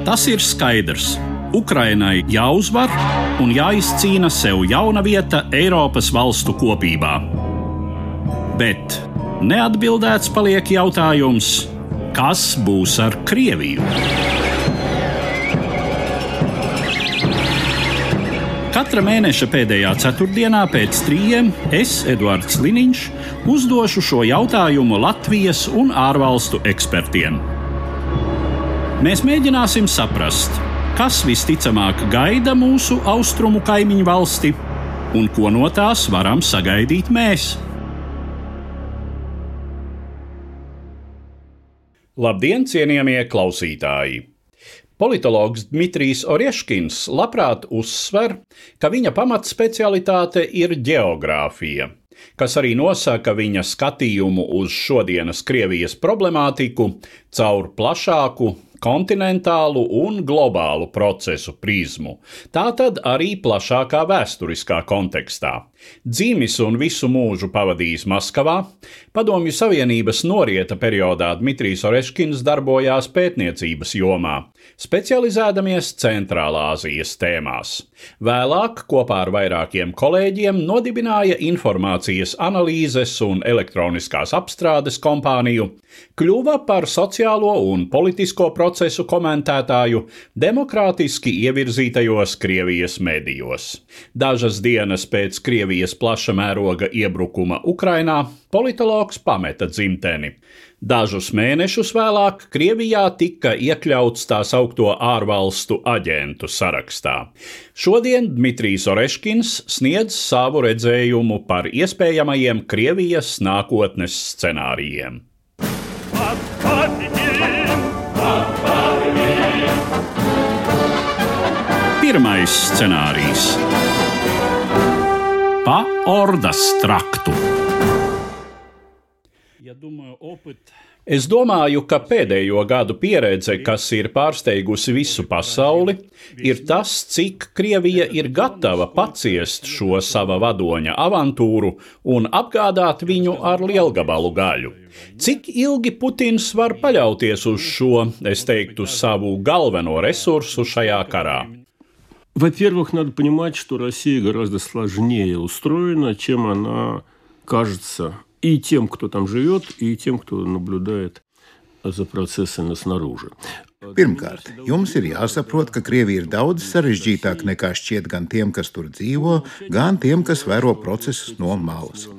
Tas ir skaidrs. Ukrainai jāuzvar un jāizcīna sev jauna vieta Eiropas valstu kopībā. Bet neatbildēts paliek jautājums, kas būs ar Krieviju? Katra mēneša pēdējā ceturtdienā pēc 3 es, Eduards Liniņš, uzdošu šo jautājumu Latvijas un ārvalstu ekspertiem. Mēs mēģināsim saprast, kas visticamāk gaida mūsu austrumu kaimiņu valsti un ko no tās varam sagaidīt mēs. Labdien, cienījamie klausītāji! Politologs Dmitrijs Oreškins labprāt uzsver, ka viņa pamatspecialitāte ir ģeogrāfija, kas arī nosaka viņa skatījumu uz šodienas Krievijas problemātiku caur plašāku kontinentālu un globālu procesu prizmu, tātad arī plašākā vēsturiskā kontekstā. Dzimis un visu mūžu pavadījis Maskavā, Padomju Savienības norieta periodā Dmitrijs Oreškins darbojās pētniecības jomā, specializēdamies Centrālā Āzijas tēmās. Vēlāk kopā ar vairākiem kolēģiem nodibināja informācijas analīzes un elektroniskās apstrādes kompāniju, kļuva par sociālo un politisko procesu komentētāju demokrātiski ievirzītajos Krievijas medijos. Dažas dienas pēc Krievijas plaša mēroga iebrukuma Ukrainā politologs pameta dzimteni. Dažus mēnešus vēlāk Krievijā tika iekļauts tā saukto ārvalstu aģentu sarakstā. Šodien Dmitrijs Oreškins sniedz savu redzējumu par iespējamajiem Krievijas nākotnes scenārijiem. Pirmais scenārijs – pa Ordas traktu. Es domāju, ka pēdējo gadu pieredze, kas ir pārsteigusi visu pasauli, ir tas, cik Krievija ir gatava paciest šo sava vadoņa avantūru un apgādāt viņu ar lielgabalu gaļu. Cik ilgi Putins var paļauties uz šo, es teiktu, savu galveno resursu šajā karā? Во-первых, надо понимать, что Россия гораздо сложнее устроена, чем она кажется и тем, кто там живет, и тем, кто наблюдает за процессами снаружи. Pirmkārt, jums ir jāsaprot, ka Krievija ir daudz sarežģītāka nekā šķiet gan tiem, kas tur dzīvo, gan tiem, kas vēro procesus no malas.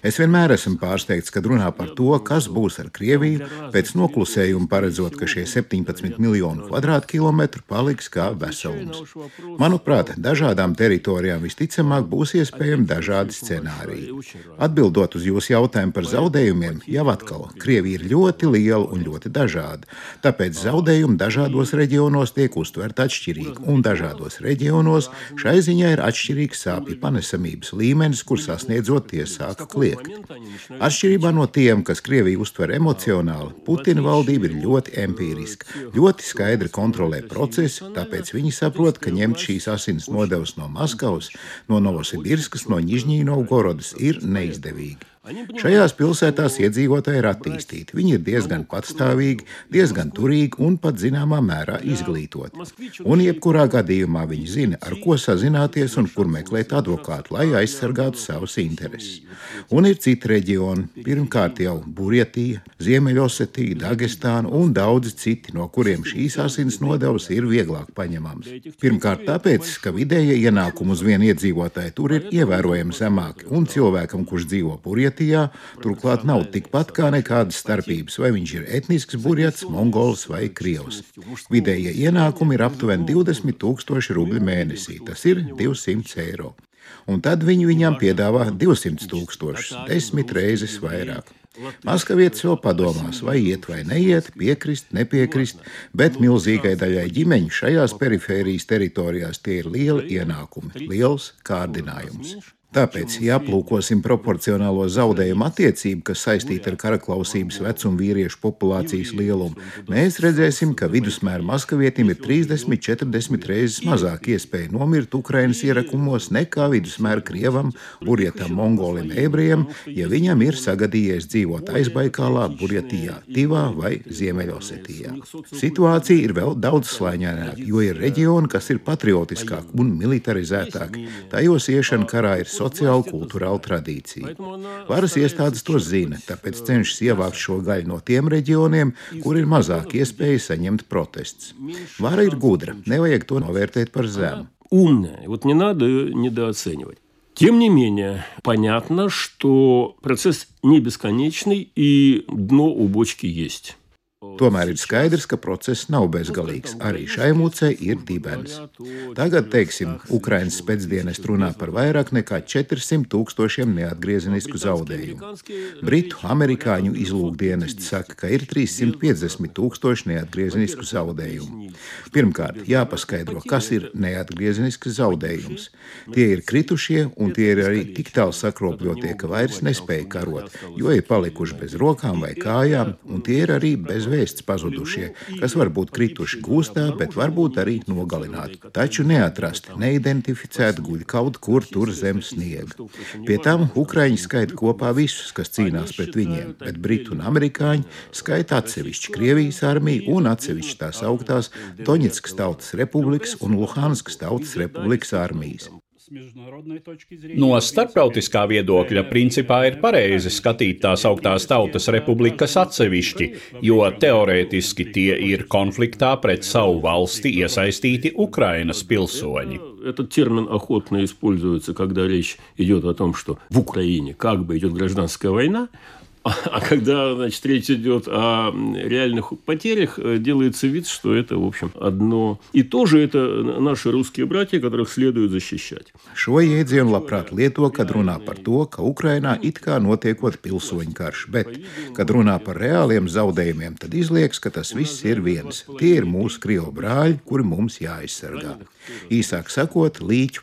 Es vienmēr esmu pārsteigts, kad runā par to, kas būs ar Krieviju, pēc noklusējuma paredzot, ka šie 17 miljonu kvadrātkilometru paliks kā veselums. Manuprāt, dažādām teritorijām visticamāk būs iespējami dažādi scenāriji. Atbildot uz jūsu jautājumu par zaudējumiem, jau atkal, Krievija ir ļoti liela un ļoti dažāda, tāpēc zaudējumi dažādos reģionos tiek uztverti atšķirīgi, un dažādos reģionos šai ziņā ir atšķirīgs sāpju panesamības līmenis, kur sasniedzot tie sāk kliegt. Atšķirībā no tiem, kas Krieviju uztver emocionāli, Putina valdība ir ļoti empīriska, ļoti skaidri kontrolē procesu, tāpēc viņi saprot, ka ņemt šīs asins nodevas no Maskavas, no Novosibirskas, no Nižņī-Novgorodas ir neizdevīgi. Šajās pilsētās iedzīvotāji ir attīstīti. Viņi ir diezgan patstāvīgi, diezgan turīgi un pat zināmā mērā izglītoti. Un jebkurā gadījumā viņi zina, ar ko sazināties un kur meklēt advokātu, lai aizsargātu savus intereses. Un ir citi reģioni, pirmkārt jau Burjatija, Ziemeļosetija, Dagestāna un daudzi citi, no kuriem šīs asins nodevas ir vieglāk paņemams. Pirmkārt tāpēc, ka vidējie ienākumi uz vienu iedzīvotāju tur ir ievērojami zemāki, un cilvēkam, kurš dzīvo Burjatijā, turklāt nav tikpat kā nekādas starpības, vai viņš ir etnisks burjats, mongols vai krievs. Vidējie ienākumi ir aptuveni 20 000 rubļu mēnesī, tas ir 200 eiro. Un tad viņi viņam piedāvā 200 000, 10 reizes vairāk. Maskavietis vēl padomās, vai iet vai neiet, piekrist, nepiekrist, bet milzīgai daļai ģimeņu šajās perifērijas teritorijās tie ir lieli ienākumi, liels kārdinājums. Tāpēc, ja aplūkosim proporcionālo zaudējumu attiecību, kas saistīta ar karaklausības vecumu vīriešu populācijas lielumu, mēs redzēsim, ka vidusmēra maskavietim ir 30–40 reizes mazāk iespēja nomirt Ukrainas ierakumos nekā vidusmēra krievam, burjatam, mongolim, ebrejam, ja viņam ir sagadījies dzīvot Aizbaikālā, Burjatijā, Tivā vai Ziemeļosetijā. Situācija ir vēl daudz slāņaināka, jo ir reģioni, kas ir patriotiskāki un militarizētāki. Tajos iešana karā ir sociāla kultūrāla tradīcija. Varas iestādes to zina, tāpēc cenšas ievākt šo gaļu no tiem reģioniem, kur ir mazāk iespēja saņemt protests. Vara ir gudra, nevajag to novērtēt par zemu. Умная, вот не надо ее недооценивать. Тем не менее, понятно, что процесс не бесконечный и дно у бочки есть. Tomēr ir skaidrs, ka process nav bezgalīgs. Arī šai mucei ir dibens. Tagad, teiksim, Ukrainas spēcdienesti runā par vairāk nekā 400,000 neatgriezenisku zaudējumu. Britu, amerikāņu izlūkdienesti saka, ka ir 350,000 neatgriezenisku zaudējumu. Pirmkārt, jāpaskaidro, kas ir neatgriezenisks zaudējums. Tie ir kritušie, un tie ir arī tik tālu sakropļotie, ka vairs nespēja karot, jo ir palikuši bez rokām vai kājām, un tie ir arī bez vēsts pazudušie, kas var būt krituši gūstā, bet varbūt arī nogalināti. Taču neatrasti, neidentificēti guļ kaut kur tur zem sniega. Pie tam Ukraiņi skaita kopā visus, kas cīnās pret viņiem, bet Britu un amerikāņi skaita atsevišķi Krievijas armiju un atsevišķi tās augtās Doņetskas Tautas Republikas un Luhanskas Tautas Republikas armijas. No starptautiskā viedokļa principā ir pareizi skatīt tās augtās tautas republikas atsevišķi, jo teorētiski tie ir konfliktā pret savu valsti iesaistīti Ukrainas pilsoņi. Этот термин охотно используется, когда речь идет о том, что в Украине как бы идет гражданская война, а когда, значит, речь идет о реальных потерях, делается вид, что это, в общем, одно и то же. Это наши русские братья, которых следует защищать. Šo jēdzienu labprāt lieto, kad runā par to, ka Ukrainā it kā notiekot pilsoņu karš, bet, kad runā par reāliem zaudējumiem, tad izliekas, ka tas viss ir viens. Tie ir mūsu krievu brāļi, kuri mums jāaizsargā. Īsāk sakot, līķu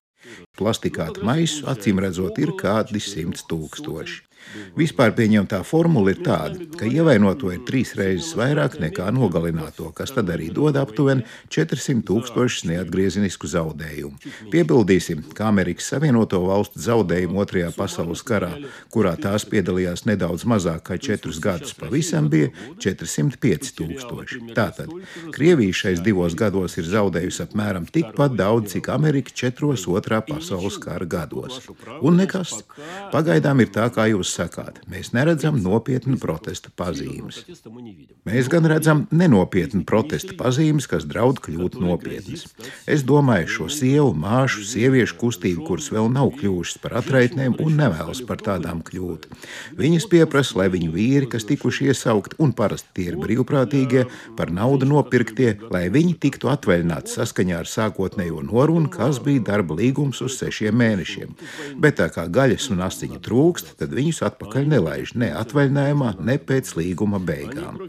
plastikātu maisu, acīm redzot, ir kādi 100,000. Vispār pieņemtā formula ir tāda, ka ievainoto ir 3 reizes vairāk nekā nogalināto, kas tad arī dod aptuveni 400,000 neatgriezenisku zaudējumu. Piebildīsim, ka Amerikas Savienoto Valstu zaudējumu Otrajā pasaules karā, kurā tās piedalījās nedaudz mazāk kā 4 gadus, pavisam bija 405,000. Tātad Krievija šais 2 gados ir zaudējusi apmēram tikpat daudz, cik Amerika 4 Otrā pasaules kara gados. Un nekas. Pagaidām ir tā, kā jūs sakāt, mēs neredzam nopietnu protesta pazīmes. Mēs gan redzam nenopietnu protesta pazīmes, kas draud kļūt nopietnas. Es domāju šo sievu, māšu, sieviešu kustību, kuras vēl nav kļuvušas par atraitnēm un nevēlas par tādām kļūt. Viņas pieprasa, lai viņu vīri, kas tikuši iesaukt, un parasti tie ir brīvprātīgie, par naudu nopirktie, lai viņi tiktu atvaļināti saskaņā ar sākotnējo norunu, kas bija darba līgums uz 6 mēnešiem. Bet tā kā gaļas un asiņu trūkst, tad viņus atpakaļ nelaiž ne atvaļinājumā, ne pēc līguma beigām.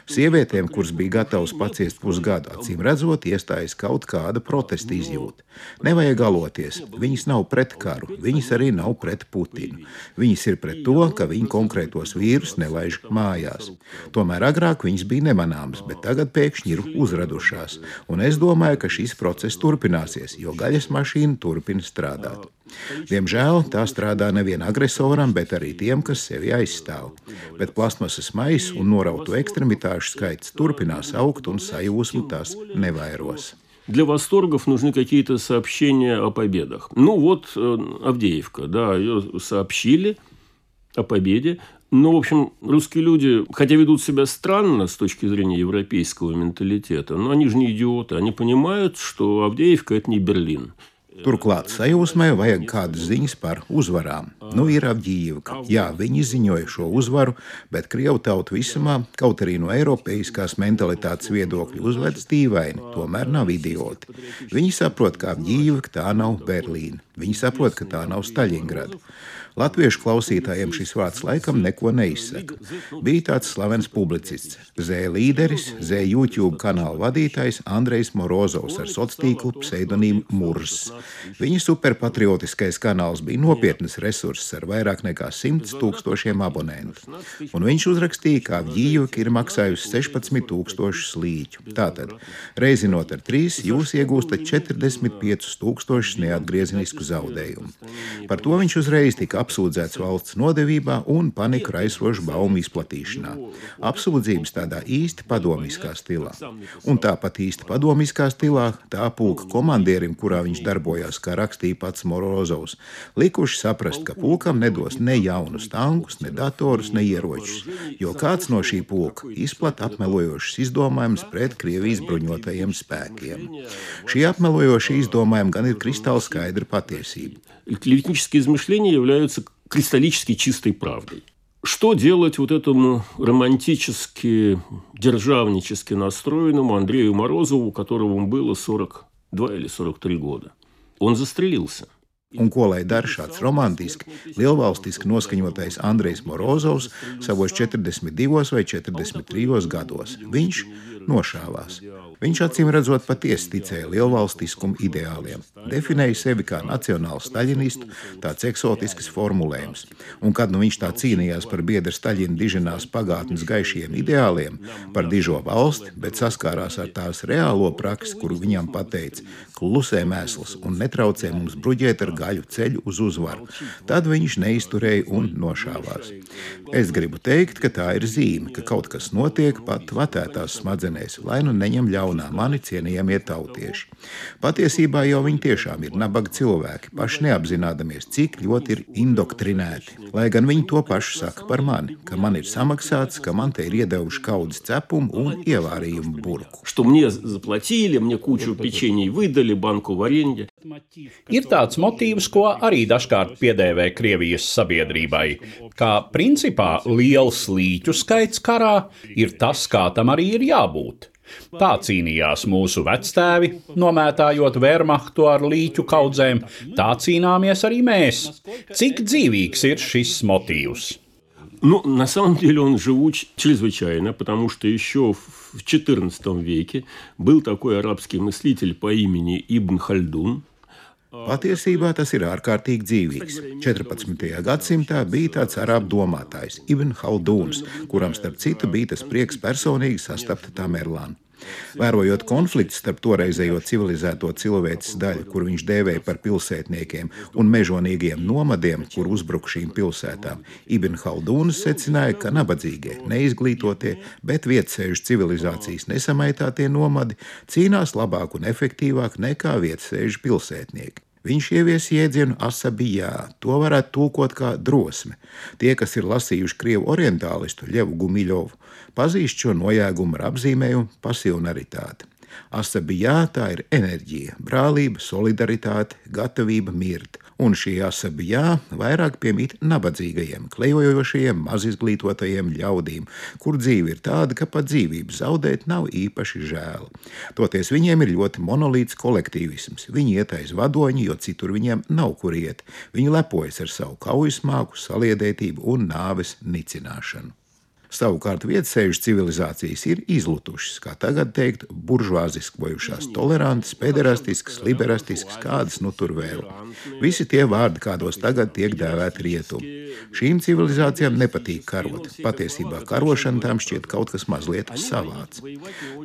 Sievietēm, kuras bija gatavas paciest pusgadu, acīm redzot, iestājas kaut kāda protesta izjūta. Nevajag galoties, viņas nav pret karu, viņas arī nav pret Putinu. Viņas ir pret to, ka viņi konkrētos vīrus nelaiž mājās. Tomēr agrāk viņas bija nemanāmas, bet tagad pēkšņi ir uzradušās. Un es domāju, ka šis process turpināsies, jo gaļas mašīna turpina strādāt. Diemžēl tā strādā nevien agresoram, bet arī tiem, kas sevi aizstāv. Bet plastmasas maisu un norautu ekstremitāšu skaits turpinās augt un sajūsmu tās nevairos. Для восторгов нужны какие-то сообщения о победах. Ну вот Авдеевка, да, ее сообщили о победе. Но, в общем, русские люди, хотя ведут себя странно с точки зрения европейского менталитета, но они же не идиоты, они понимают, что Авдеевка – это не Берлин. Turklāt sajūsmai vajag kādas ziņas par uzvarām. Nu ir Avdijivka. Jā, viņi ziņoja šo uzvaru, bet krievu tauta visumā, kaut arī no eiropeiskās mentalitātes viedokļa uzvedas dīvaini, tomēr nav idioti. Viņi saprot, ka Avdijivka tā nav Berlīna. Viņi saprot, ka tā nav Staļingrada. Latviešu klausītājiem šis vārds laikam neko neizsaka. Bija tāds slavens publicists, Z līderis, Z YouTube kanāla vadītājs Andrejs Morozovs ar sociālo tīklu pseidonīmu Murs. Viņa superpatriotiskais kanāls bija nopietnas resurss ar vairāk nekā 100 000 abonentu. Un viņš uzrakstīja, kā Vjījuka ir maksājusi 16 000 līķu. Tātad, reizinot ar 3, jūs iegūstat 45 000 neatgriezenisku zaudējumu. Par to viņš uzreiz tika apsūdzēts valsts nodevībā un paniku raisošu baumu izplatīšanā. Apsūdzības tādā īsti padomiskā stilā. Un tāpat īsti padomiskā stilā tā pulka komandierim, kurā viņš darbojās, kā rakstīja pats Morozovs, likuši saprast, ka pulkam nedos ne jaunus tankus, ne datorus, ne ieročus, jo kāds no šī pulka izplata apmelojošas izdomājumus pret Krievijas bruņotajiem spēkiem. Šī apmelojoša izdomājuma gan ir kristāli skaidra patiesība. Клеветнические измышления являются кристаллически чистой правдой. Что делать вот этому романтически, державнически настроенному Андрею Морозову, которому было 42 или 43 года? Он застрелился. Un ko lai dara šāds romantiski, lielvalstiski noskaņotais Andrejs Morozovs savos 42 vai 43 gados? Viņš nošāvās. Viņš acīm redzot patiesi ticēja lielvalstiskuma ideāliem, definēja sevi kā nacionālu staļinistu, tāds eksotisks formulējums. Un kad viņš tā cīnījās par biedra Staļina diženās pagātnes gaišiem ideāliem, par dižo valsti, bet saskārās ar tās reālo praksi, kuru viņam pateica: klusē mēsls un netraucē mums bruģēt ar gaļu ceļu uz uzvaru, tad viņš neizturēja un nošāvās. Es gribu teikt, ka tā ir zīme, ka kaut kas notiek pat vatētās smadzenēs, lai nu neņem ļaunā mani cienījamie tautieši. Patiesībā jau viņi tiešām ir nabaga cilvēki, paši neapzinādamies, cik ļoti ir indoktrinēti. Lai gan viņi to pašu saka par mani, ka man ir samaksāts, ka man te ir iedevuši kaudzes cepumu un ievārījumu burku. Что мне заплатили, мне кучу печенья выдали, банку варенья. Ir tāds motīvs, ko arī dažkārt piedēvē Krievijas sabiedrībai, kā principā liels līķu skaits karā ir tas, kā tam arī ir jābūt. Tā cīnījās mūsu vectēvi, nomētājot Wehrmachtu ar līķu kaudzēm, tā cīnāmies arī mēs. Cik dzīvīgs ir šis motīvs? Ну, на самом деле он живуч чрезвычайно, потому что еще в XIV веке был такой арабский мыслитель по имени Ибн Хальдун. Patiesībā tas ir ārkārtīgi dzīvīgs. 14. gadsimtā bija tāds arābu domātājs, Ibn Haldūns, kuram starp citu bija tas prieks personīgi sastapt Tamerlānu. Vērojot konflikts starp toreizējo civilizēto cilvēces daļu, kur viņš dēvēja par pilsētniekiem, un mežonīgiem nomadiem, kur uzbruk šīm pilsētām, Ibn Haldūns secināja, ka nabadzīgie, neizglītotie, bet vietsēžu civilizācijas nesamaitātie nomadi cīnās labāk un efektīvāk nekā vietsēžu pilsētnieki. Viņš ievies jēdzienu asabijā, to varētu tulkot kā drosme. Tie, kas ir lasījuši krievu orientālistu Ļevu Gumiļovu, pazīst šo nojēgumu ar apzīmējumu pasionaritāte. Asabijā tā ir enerģija, brālība, solidaritāte, gatavība mirt. Un šī asabijā vairāk piemīt nabadzīgajiem, klejojošajiem, mazizglītotajiem ļaudīm, kur dzīve ir tāda, ka pat dzīvību zaudēt nav īpaši žēl. Toties viņiem ir ļoti monolīts kolektīvisms. Viņi iet aiz vadoņi, jo citur viņiem nav kur iet. Viņi lepojas ar savu kaujasmāku, saliedētību un nāves nicināšanu. Savukārt vietsēžu civilizācijas ir izlutušas, kā tagad teikt, buržuāziskojušās, tolerantas, pederastiskas, liberastiskas, kādas nu tur vēl. Visi tie vārdi, kādos tagad tiek dēvēti rietumi. Šīm civilizācijām nepatīk karot. Patiesībā karošana tām šķiet kaut kas mazliet savāds.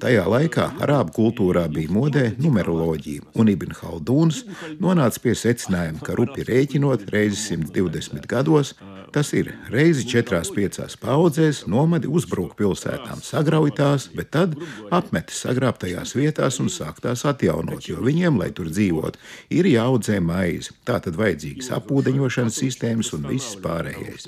Tajā laikā arābu kultūrā bija modē numeroloģija, un Ibn Haldūns nonāca pie secinājuma, ka rupi rēķinot reizi 120 gados, tas ir reizi 4-5 paudzēs, nomadi uzbruk pilsētām, sagrauj tās, bet tad apmetas sagrābtajās vietās un sāk tās atjaunot, jo viņiem, lai tur dzīvot, ir jāaudzē maize. Tātad vajadzīgas apūdeņošanas sistēmas un viss pārējais.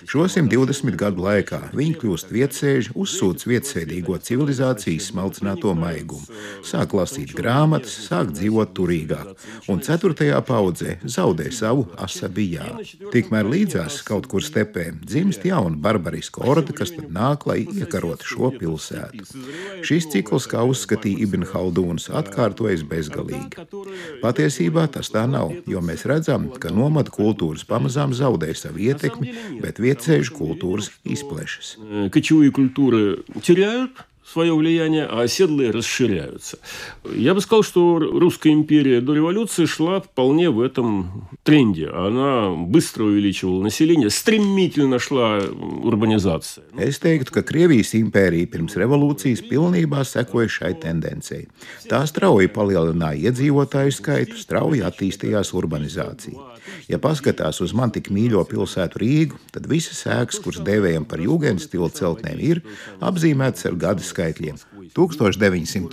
Šo 120 gadu laikā viņi kļūst vietsēži, uzsūc vietsēdīgo civilizāciju izsmalcināto maigumu, sāk lasīt grāmatas, sāk dzīvot turīgāk, un 4. paudzē zaudē savu asabijā. Tikmēr līdzās kaut kur stepē dzimst jauna barbariska orde, kas tad nāk, lai iekarotu šo pilsētu. Šis cikls, kā uzskatīja Ibn Haldūns, atkārtojas bezgalīgi. Patiesībā tas tā nav, jo mēs redzam, ka nomadu kultūras pamazām zaudē savu ietekmi, bet vietsēžu kultūras izplešas. Кочевые культуры теряют свое влияние, а оседлые расширяются. Я бы сказал, что Русская империя до революции шла вполне в этом тренде. Она быстро увеличивала население, стремительно шла урбанизация. Es teiktu, ka Krievijas impērija pirms revolūcijas pilnībā sekoja šai tendencei. Tā strauji palielināja iedzīvotāju skaitu, strauji attīstījās urbanizācija. Ja paskatās uz man tik mīļo pilsētu Rīgu, tad visas ēkas, kuras dēvējam par Jūgenstila celtnēm, ir apzīmētas ar gadu skaitļiem. 1902,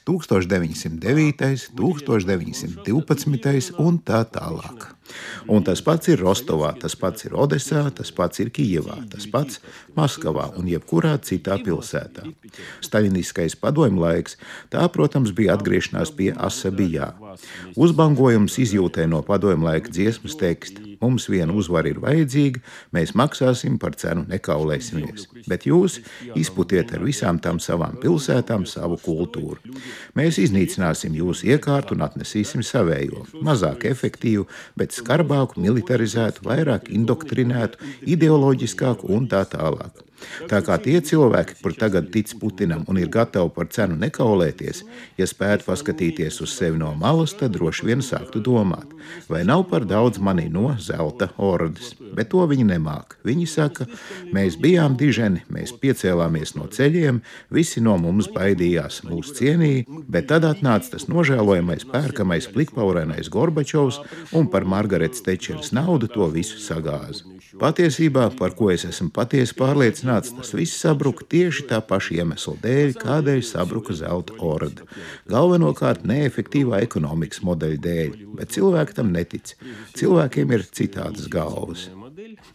1909, 1912 un tā tālāk. Un tas pats ir Rostovā, tas pats ir Odesā, tas pats ir Kijevā, tas pats Maskavā un jebkurā citā pilsētā. Staļiniskais padomju laiks, tā, protams, bija atgriešanās pie asabijā. Uzbangojums izjūtē no padomju laika dziesmas teksta. Mums viena uzvara ir vajadzīga, mēs maksāsim par cenu, nekaulēsimies. Bet jūs izputiet ar visām tām savām pilsētām savu kultūru. Mēs iznīcināsim jūsu iekārtu un atnesīsim savējo. Mazāk efektīvu, bet skarbāku, militarizētu, vairāk indoktrinētu, ideoloģiskāku un tā tālāk. Tā kā tie cilvēki, kur tagad tic Putinam un ir gatavi par cenu nekaulēties, ja spētu paskatīties uz sevi no malas, tad droši vien sāktu domāt, vai nav par daudz manī no zelta ordes. Bet to viņi nemāk. Viņi saka, mēs bijām diženi, mēs piecēlāmies no ceļiem, visi no mums baidījās, mūs cienīja, bet tad atnāca tas nožēlojamais, pērkamais, plikpaurainais Gorbačovs un par Margaretas Tečeras naudu to visu sagāza. Patiesībā, par ko es esmu patiesi pārliecināts, tas viss sabruka tieši tā paša iemesla dēļ, kādēļ sabruka zelta orda. Galvenokārt neefektīvā ekonomikas modeļa dēļ, bet cilvēki tam netic. Cilvēkiem ir citādas galvas.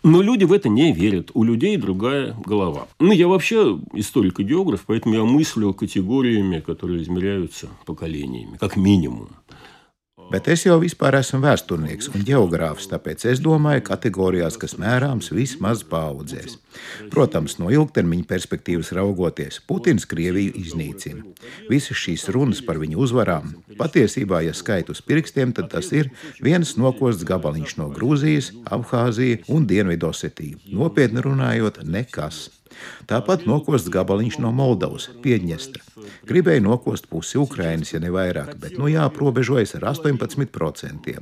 Но люди в это не верят. У людей другая голова. Я вообще историк и географ, поэтому я мыслю категориями, которые измеряются поколениями, как минимум. Bet es jau vispār esmu vēsturnieks un ģeogrāfs, tāpēc es domāju kategorijās, kas mērāms vismaz paaudzēs. Protams, no ilgtermiņa perspektīvas raugoties, Putins Krieviju iznīcina. Visas šīs runas par viņu uzvarām, patiesībā, ja skait uz pirkstiem, tad tas ir viens nokosts gabaliņš no Grūzijas, Abhāzija un Dienvidosetija. Nopietni runājot, nekas. Tāpat nokosts gabaliņš no Moldavas, Piedņestra. Gribēja nokost pusi Ukrainas, ja ne vairāk, bet jāprobežojas ar 18%.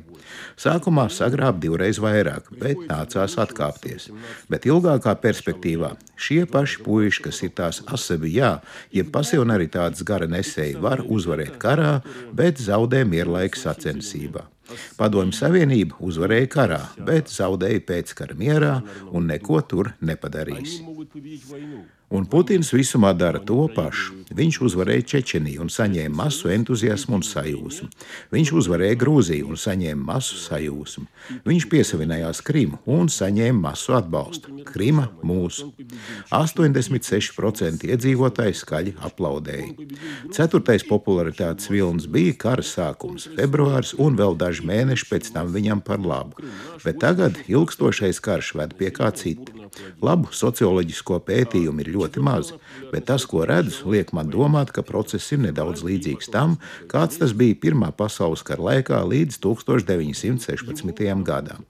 Sākumā sagrāb divreiz vairāk, bet nācās atkāpties. Bet ilgākā perspektīvā šie paši puiši, kas ir tās asabijā, jeb pasionaritātes gara nesēji, var uzvarēt karā, bet zaudē mierlaika sacensībā. Padomju Savienība uzvarēja karā, bet zaudēja pēckara mierā un neko tur nepadarīs. Un Putins visumā dara to pašu. Viņš uzvarēja Čečeniju un saņēma masu entuziasmu un sajūsmu. Viņš uzvarēja Grūziju un saņēma masu sajūsmu. Viņš piesavinājās Krimu un saņēma masu atbalstu. Krima mūsu. 86% iedzīvotāji skaļi aplaudēja. 4. popularitātes vilnis bija kara sākums, februārs un vēl daži mēneši pēc tam viņam par labu. Bet tagad ilgstošais karš ved pie kā cita. Labu socioloģisko pētījumu ir ļoti mazi, bet tas, ko redzu, liek man domāt, ka process ir nedaudz līdzīgs tam, kāds tas bija Pirmā pasaules kara laikā līdz 1916. gadam.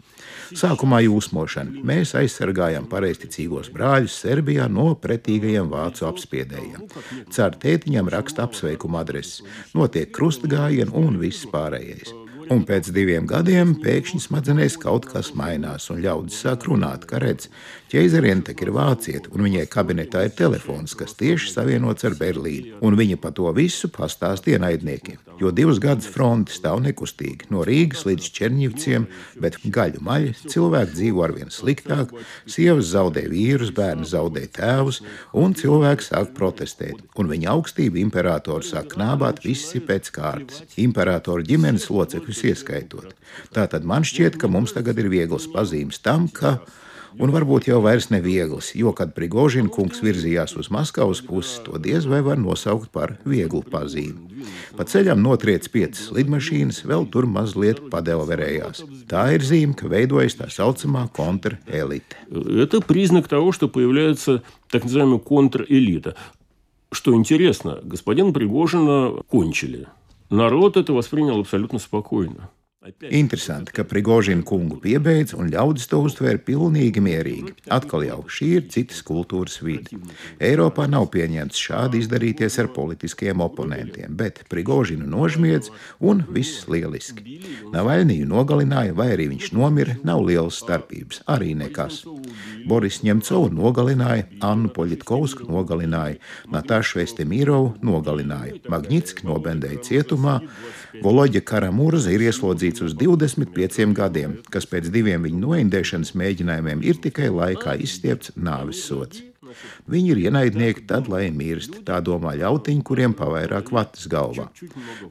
Sākumā jūsmošana. Mēs aizsargājam pareizticīgos brāļus Serbijā no pretīgajiem vācu apspiedējiem. Car tētiņam raksta apsveikuma adreses, notiek krustgājieni un viss pārējais. Un pēc 2 gadiem pēkšņi smadzenēs kaut kas mainās, un ļaudis sāk runāt, ka redz, ķeizariene tak ir vācieta, un viņai kabinetā ir telefons, kas tieši savienots ar Berlīnu. Un viņa pa to visu pastāst ienaidniekiem, jo 2 gadus fronti stāv nekustīgi, no Rīgas līdz Čerņivciem, bet gaļu maļi, cilvēki dzīvo arvien sliktāk, sievas zaudē vīrus, bērni zaudē tēvus, un cilvēki sāk protestēt. Un viņa augstība imperatoru sāk knābāt visi pēc kārtas. Imperatoru ģimenes locekļus ieskaitot. Tātad man šķiet, ka mums tagad ir vieglas pazīmes tam, ka, un varbūt jau vairs nevieglas, jo, kad Prigožina kungs virzījās uz Maskavas pusi, to diez vai var nosaukt par vieglu pazīmi. Pa ceļam notriec 5 lidmašīnas, vēl tur mazliet padelverējās. Tā ir zīme, ka veidojas tā saucamā kontrelite. Это признак того, что появляется так называемая контрэлита. Что интересно, господина Пригожина кончили. Народ это воспринял абсолютно спокойно. Interesanti, ka Prigožina kungu piebeidz un ļaudis to uztvēra pilnīgi mierīgi. Atkal jau šī ir citas kultūras vide. Eiropā nav pieņemts šādi izdarīties ar politiskiem oponentiem, bet Prigožinu nožmiedz un viss lieliski. Navaļniju nogalināja vai arī viņš nomira, nav lielas starpības, arī nekas. Boris Ņemcovu nogalināja, Annu Poļitkovsku nogalināja, Natašu Estemirovu nogalināja, Magnitski nobendēja cietumā, Voloģa Karamurza ir ieslodzīts uz 25 gadiem, kas pēc 2 viņa noindēšanas mēģinājumiem ir tikai laikā izstiepts nāves sods. Viņi ir ienaidnieki, tad lai mirst, tā domā ļautiņi, kuriem pavairāk vatas galvā.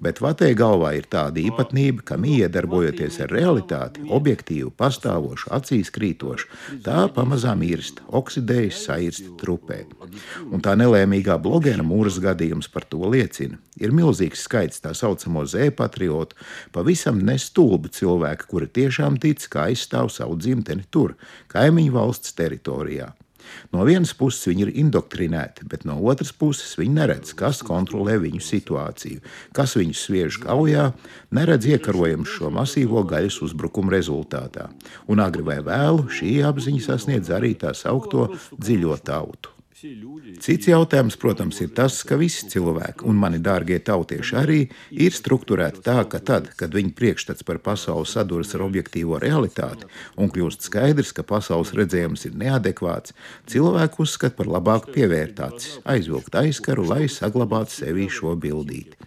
Bet vatē galvā ir tāda īpatnība, ka iedarbojoties ar realitāti, objektīvu, pastāvošu, acīs krītošu, tā pamazām mirst, oksidējas, sairst, trupē. Un tā nelēmīgā blogera Mūras gadījums par to liecina. Ir milzīgs skaits tā saucamo Z-patriotu, pavisam nestulbu cilvēku, kuri tiešām tic, ka aizstāv savu dzimteni tur, kaimiņu valsts teritorijā. No vienas puses viņi ir indoktrinēti, bet no otras puses viņi neredz, kas kontrolē viņu situāciju, kas viņus sviež kaujā, neredz iekarojams šo masīvo gaļas uzbrukumu rezultātā. Un agri vai vēlu šī apziņa sasniedz arī tā saukto dziļo tautu. Cits jautājums, protams, ir tas, ka visi cilvēki, un mani dārgie tautieši arī, ir strukturēti tā, ka tad, kad viņu priekšstats par pasauli saduras ar objektīvo realitāti un kļūst skaidrs, ka pasaules redzējums ir neadekvāts, cilvēku uzskata par labāku pievērt acis, aizvilkt aizkaru, lai saglabātu sevī šo bildīti.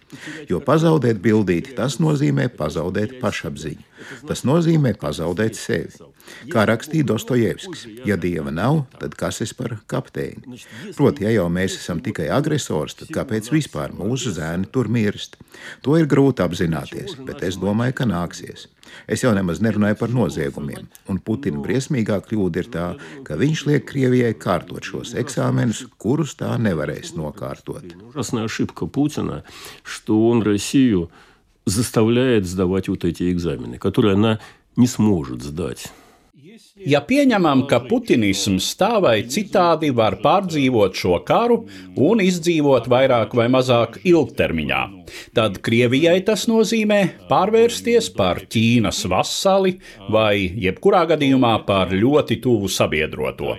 Jo pazaudēt bildīti, tas nozīmē pazaudēt pašapziņu. Tas nozīmē pazaudēt sevi. Kā rakstīja Dostojevskis, ja dieva nav, tad kas es par kapteini? Proti, ja jau mēs esam tikai agresors, tad kāpēc vispār mūsu zēni tur mirst? To ir grūti apzināties, bet es domāju, ka nāksies. Es jau nemaz nerunāju par noziegumiem, un Putina briesmīgā kļūda ir tā, ka viņš liek Krievijai kārtot šos eksāmenus, kurus tā nevarēs nokārtot. Ужасная ошибка Путина, что он Россию заставляет сдавать вот эти экзамены, которые она не сможет сдать. Ja pieņemam, ka putinisms tā vai citādi var pārdzīvot šo karu un izdzīvot vairāk vai mazāk ilgtermiņā, tad Krievijai tas nozīmē pārvērsties par Ķīnas vasali vai jebkurā gadījumā par ļoti tuvu sabiedroto.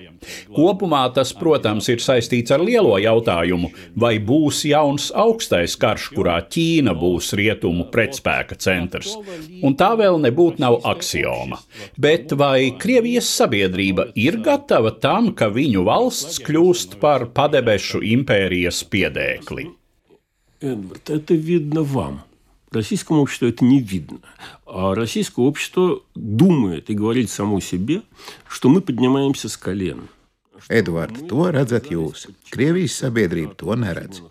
Kopumā tas, protams, ir saistīts ar lielo jautājumu, vai būs jauns augstais karš, kurā Ķīna būs rietumu pretspēka centrs. Un tā vēl nebūtu nav aksioma. Bet vai Krievijas sabiedrība ir gatava tam, ka viņu valsts kļūst par padebešu impērijas piedēkli? Эдвард, это видно вам. Российскому обществу это не видно. А российское общество думает и говорит само себе, что мы поднимаемся с колен. Edvards, to redzat jūs. Krievijas sabiedrība to neredz.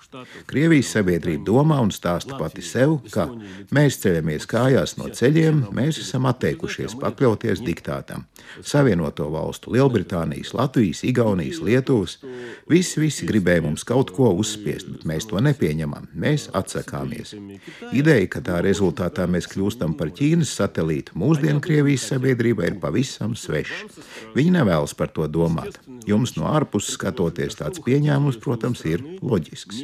Krievijas sabiedrība domā un stāsta pati sev, ka mēs ceļamies kājās no ceļiem, mēs esam atteikušies pakļauties diktātam. Savienoto valstu, Lielbritānijas, Latvijas, Igaunijas, Lietuvas, visi gribēja mums kaut ko uzspiest, bet mēs to nepieņemam, mēs atsakāmies. Ideja, ka tā rezultātā mēs kļūstam par Ķīnas satelītu, mūsdienu Krievijas sabiedrība ir pavisam sveša. Viņi nevēlas par to domāt. Jums no ārpuses skatoties tāds pieņēmums, protams, ir loģisks.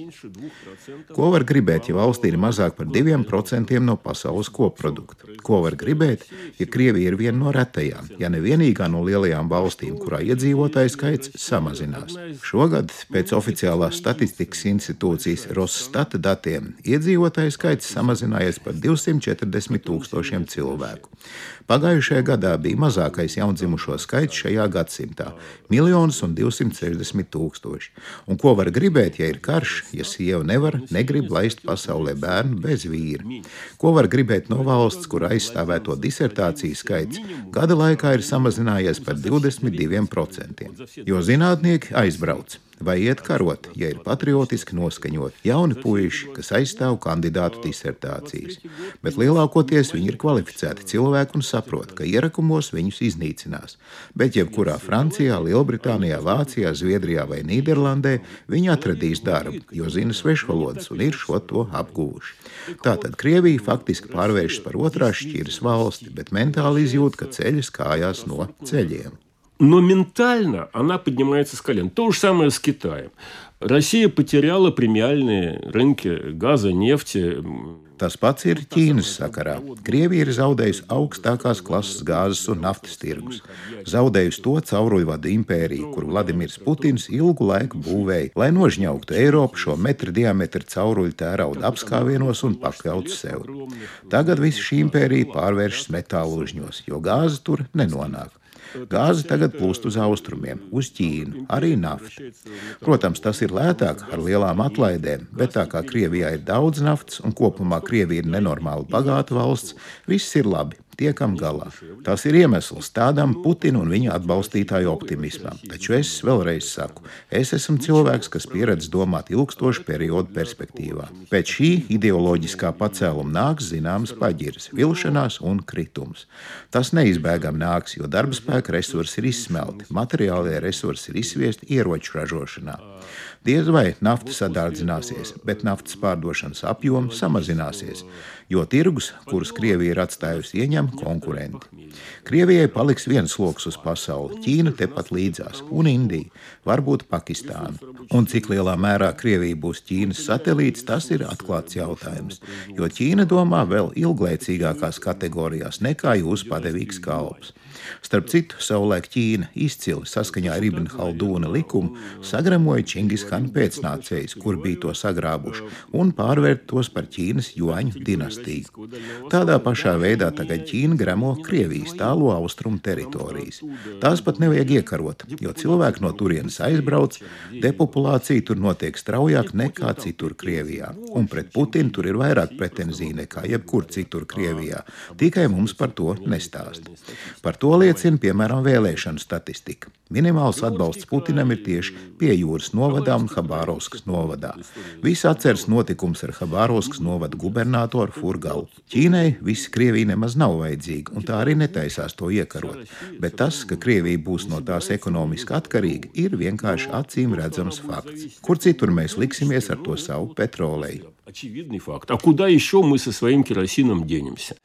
Ko var gribēt, ja valstī ir mazāk par 2% no pasaules koprodukta? Ko var gribēt, ja Krievija ir viena no retajām, ja ne vienīgā no lielajām valstīm, kurā iedzīvotāju skaits samazinās? Šogad pēc oficiālās statistikas institūcijas Rossstata datiem iedzīvotāju skaits samazinājies par 240,000 cilvēku. Pagājušajā gadā bija mazākais jaundzimušo skaits šajā gadsimtā - 1,260,000. Un ko var gribēt, ja ir karš, ja sieva negrib laist pasaulē bērnu bez vīra? Ko var gribēt no valsts, kur aizstāvēto disertāciju skaits gada laikā ir samazinājies par 22%? Jo zinātnieki aizbrauc. Vai iet karot, ja ir patriotiski noskaņot jauni puiši, kas aizstāv kandidātu disertācijas. Bet lielākoties viņi ir kvalificēti cilvēki un saprot, ka ierakumos viņus iznīcinās. Bet jebkurā Francijā, Lielbritānijā, Vācijā, Zviedrijā vai Nīderlandē viņi atradīs darbu, jo zina svešvalodas un ir šo to apguvuši. Tātad Krievija faktiski pārvēršas par otrās šķiras valsti, bet mentāli izjūt, ka ceļas kājās no ceļiem. Но ментально она поднимается с колен. То же самое с Китаем. Россия потеряла премиальные рынки газа, нефти. Tas pats ir Ķīnas sakarā. Krievija ir zaudējusi augstākās klases gāzes un naftas tirgus. Zaudējusi to cauruļvadu impēriju, kur Vladimirs Putins ilgu laiku būvēja, lai nožņauktu Eiropu šo metra diametra cauruļu tērauda apskāvienos un pakļautu sev. Tagad visa šī impērija pārvēršas metālužņos, jo gāze tur nenonāk. Gāze tagad plūst uz austrumiem, uz Ķīnu, arī nafta. Protams, tas ir lētāk ar lielām atlaidēm, bet tā kā Krievijā ir daudz naftas un kopumā Krievija ir nenormāli bagāta valsts, viss ir labi. Tiekam galā. Tas ir iemesls tādam Putina un viņa atbalstītāju optimismam. Taču es vēlreiz saku, es esmu cilvēks, kas pieredz domāt ilgstošu periodu perspektīvā. Pēc šī ideoloģiskā pacēluma nāks zināmas paģiras, vilšanās un kritums. Tas neizbēgam nāks, jo darba spēka resursi ir izsmelti, materiālie resursi ir izsviesti ieroču ražošanā. Diez vai nafta sadārdzināsies, bet naftas pārdošanas apjoms samazināsies, jo tirgus, kurus Krievija ir atstājusi, ieņem konkurenti. Krievijai paliks viens loks uz pasauli, Ķīna tepat līdzās, un Indija, varbūt Pakistāna. Un cik lielā mērā Krievija būs Ķīnas satelīts, tas ir atklāts jautājums, jo Ķīna domā vēl ilglaicīgākās kategorijās nekā jūs padevīgs kalps. Starp citu, savulaik Ķīna izcili saskaņā ar Ibn Haldūna likumu sagremoja Čingishana pēcnācējus, kur bija to sagrābuši, un pārvērt tos par Ķīnas juaņu dinastiju. Tādā pašā veidā tagad Ķīna gremo Krievijas tālo austrumu teritorijas. Tās pat nevajag iekarot, jo cilvēki no turienes aizbrauc, depopulācija tur notiek straujāk nekā citur Krievijā. Un pret Putinu tur ir vairāk pretenziju nekā jebkur citur Krievijā. Tikai mums par to nestāst. Par to liecina, piemēram, vēlēšanu statistika. Minimāls atbalsts Putinam ir tieši pie jūras novadā un Habārovskas novadā. Visi atceras notikums ar Habārovskas novada gubernatoru Furgalu. Ķīnai visi Krievija nemaz nav vajadzīga, un tā arī netaisās to iekarot. Bet tas, ka Krievija būs no tās ekonomiski atkarīga, ir vienkārši acīm redzams fakts. Kur citur mēs liksimies ar to savu petroleju? Очевидный факт. А куда еще мы со своим керосином денемся?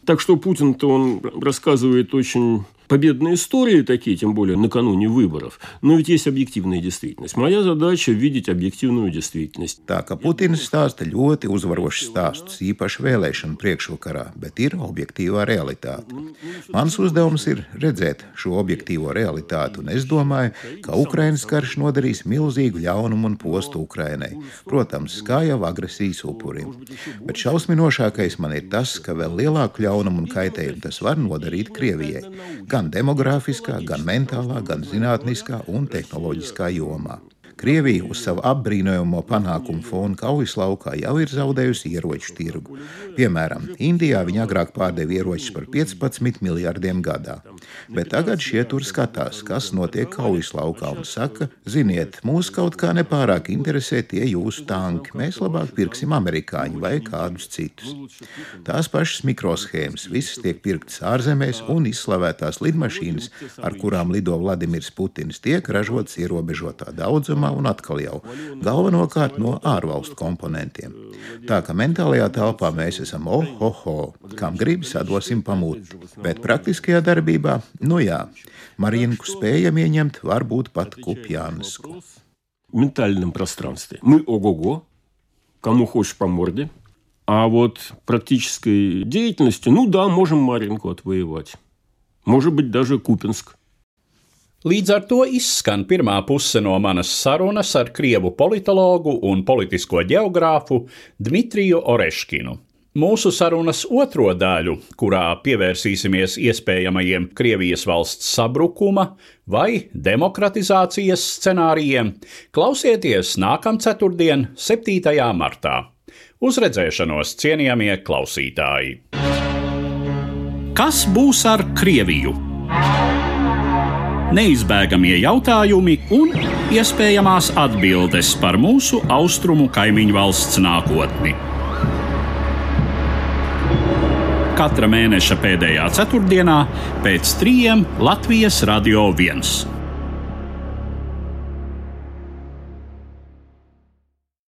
Так что Путин-то он рассказывает очень победные истории такие, тем более накануне выборов. Но ведь есть объективная действительность. Моя задача – видеть объективную действительность. Tā ka Putins stāsta ļoti uzvarošs stāstus, īpaši vēlēšanu priekšvakarā, bet ir objektīvā realitāte. Mans uzdevums ir redzēt šo objektīvo realitāti, un es domāju, ka Ukrainas karš nodarīs milzīgu ļaunumu un postu Ukrainai. Protams, kā jau agresijas upurim. Bet šausminošākais man ir tas, ka vēl lielāku ļaunumu un kaitējumu tas var nodarīt Krievijai. Gan demografiskā, gan mentālā, gan zinātniskā un tehnoloģiskā jomā. Krievija uz savu apbrīnojamo panākumu fonu kaujas laukā jau ir zaudējusi ieroču tirgu. Piemēram, Indijā viņa agrāk pārdeva ieročus par 15 miljardiem gadā. Bet tagad šie tur skatās, kas notiek kaujas laukā un saka, ziniet, mūs kaut kā nepārāk interesē tie jūsu tanki, mēs labāk pirksim amerikāņu vai kādus citus. Tās pašas mikroshēmas, visas tiek pirktas ārzemēs un izslavētās lidmašīnas, ar kurām lido Vladimirs Putins, tiek ražotas ierobežotā daudzumā un atkal jau galvenokārt no ārvalstu komponentiem. Tā ka mentālajā telpā mēs esam kam gribas atdosim pamuti. Bet praktiskajā darbībā, Марьинку spējam ieņemt, varbūt pat Куп'янску. В ментальном пространстве мы ого-го, кому хочешь по морде, а вот практической деятельности, можем Марьинку отвоевать. Может быть, даже Купинск. Līdz ar to izskan pirmā puse no manas sarunas ar krievu politologu un politisko ģeogrāfu Dmitriju Oreškinu. Mūsu sarunas otro daļu, kurā pievērsīsimies iespējamajiem Krievijas valsts sabrukuma vai demokratizācijas scenārijiem, klausieties nākamceturtdien, 7. martā. Uz redzēšanos, cienījamie klausītāji! Kas būs ar Krieviju? Neizbēgamie jautājumi un iespējamās atbildes par mūsu austrumu kaimiņu valsts nākotni. Katra mēneša pēdējā ceturtdienā pēc 3 Latvijas Radio 1.